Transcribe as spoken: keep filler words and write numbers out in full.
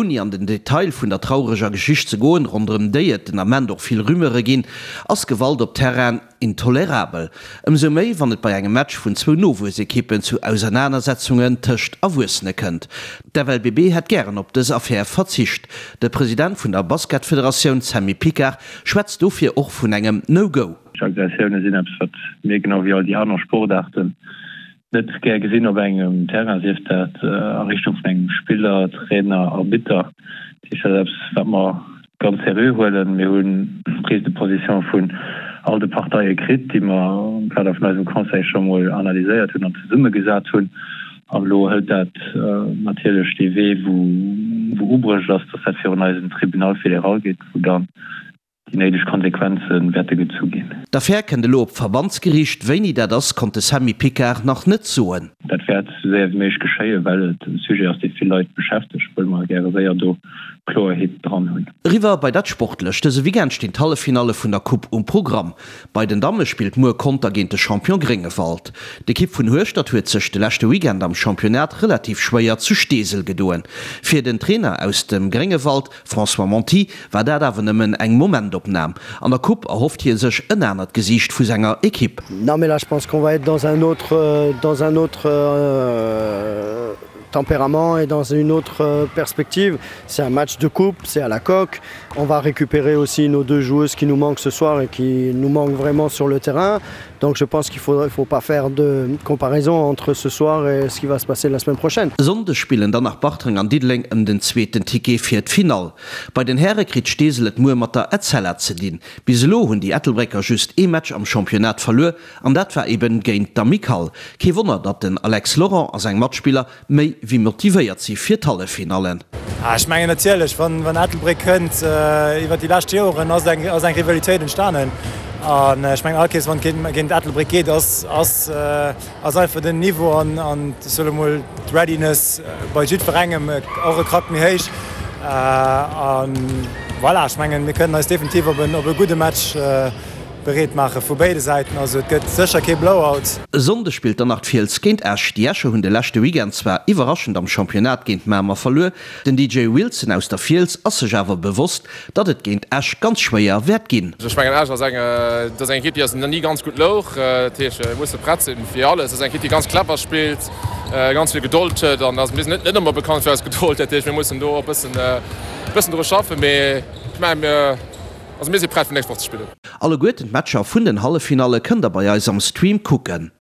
Ouni an den Detail vun der traureger Geschicht ze goen, ronderëm déi et den Ament och vill Rumeure ginn, ass Gewalt op Terrainen intolerabel. Ëmsou méi, wann et bei engem Match vun zwou Nowuessekippen zu Ausernanersetzungen tëscht Erwuessene kënnt. D'F L B B hätt gären op dës Affär verzicht. De President vun der Basketfederatioun Sammy Picard schwätzt dofir och vun engem No-Go. Aggressioune sinn eppes, wat mir genau wéi all déi aner Sportaarten net gär gesinn op engem Terrain, sief dat a Richtung vun engem Spiller, Trainer, Arbitter. Dat ass eppes, wat mer ganz seriö huelen. Mir hunn Prise de position vun all de Parteie kritt, déi mer am Kader vun eisem Conseil scho mol analyséiert hunn an zesummegesat hunn. An elo hëlt dat natierlech dee Wee, wou wou ubruecht ass, dass dat virun eisen Tribunal fédéral geet, wou dann déi néideg Konsequenze wäerte gezu ginn. D'Affär kënnt elo op d'Verbandsgeriicht. Wéini dat ass, konnt de Sammy Picard nach net soen. Dat wäert esou séier wéi méiglech geschéien, well et e Sujet ass, dee vill Leit beschäftegt, wëlle mer gäre séier do Kloerheet dran hunn. Eriwwer bei dat Sportlecht, Dëse Weekend stinn d'Halleffinalle vun der Coupe um Programm. Bei den Damme spillt muer Conter géint de Champion Gréngewald. D'Ekipp vun Hueschtert huet sech de leschte Weekend am Championnat relativ schwéier zu Steesel gedoen. Fir den Trainer aus dem Gréngewald, François Monti, war dat awer nëmmen eng Momentopnam. An der Coupe erhofft hie sech en anert Gesiicht vu senger Ekipp. Non mais là je pense qu'on va être dans un autre dans un autre euh, tempérament et dans une autre perspective. C'est un match de coupe, c'est à la coque. On va récupérer aussi nos deux joueuses qui nous manquent ce soir et qui nous manquent vraiment sur le terrain. Donc je pense qu'il faudrait faut pas faire de comparaison entre ce soir et ce qui va se passer la semaine prochaine. Sonndeg spillen dann nach Bartreng an Diddeleng ëm den zweeten Ticket fir d'Finall. Bei den Häre kritt Steesel et muer mat der Etzella ze dinn. Bis elo hunn déi Ettelbrécker just ee Match am Championnat verluer an dat war eben géint d'Amicale. Kee Wonner, datt den Alex Laurent a seng Matspiller méi wéi motivéiert si fir d'Halleffinallen. Ech mengen natierlech, wann wann Ettelbréck kënnt, iwwer déi lescht Joren ass eng ass eng Rivalitéit entstanen. An ech mengen all Kéiers wann et géint Ettelbréck geet, ass ass ass einfach den Niveau an an soe mol d'Readiness bei jiddwerengem och e Krack méi héich. An voilà, ech mengen mir kënnen eis definitiv op en op e gudde Match bereet maache vu béide Säiten, also et gëtt sécher kee Blowout. E Sonndeg spillt dann nach d'Fiels géint Esch. Déi Escher hunn de leschte Weekend zwar iwwerraschend am Championnat géint Mamer verluer, den D J Wilson aus der Fiels ass sech awer bewosst, datt et géint Esch ganz schwéier wäert ginn. Ech mengen Esch ass eng dat ass eng Ekipp, déi eis nach ni ganz gutt louch. Dat heescht mir musse prett sinn fir alles. Dat ass eng Ekipp, déi ganz clever spillt, ganz vill Gedold huet an mir sinn net net ëmmer bekannt fir eis Gedold. Dat heescht mir mussen do e bëssen bëssen dru schaffen, mee ech menge mir also mir si prett fir nächst Woch ze spillen. Alleguerten d'Matcher vun den Halleffinalle kënnt der bei eis am Stream kucken.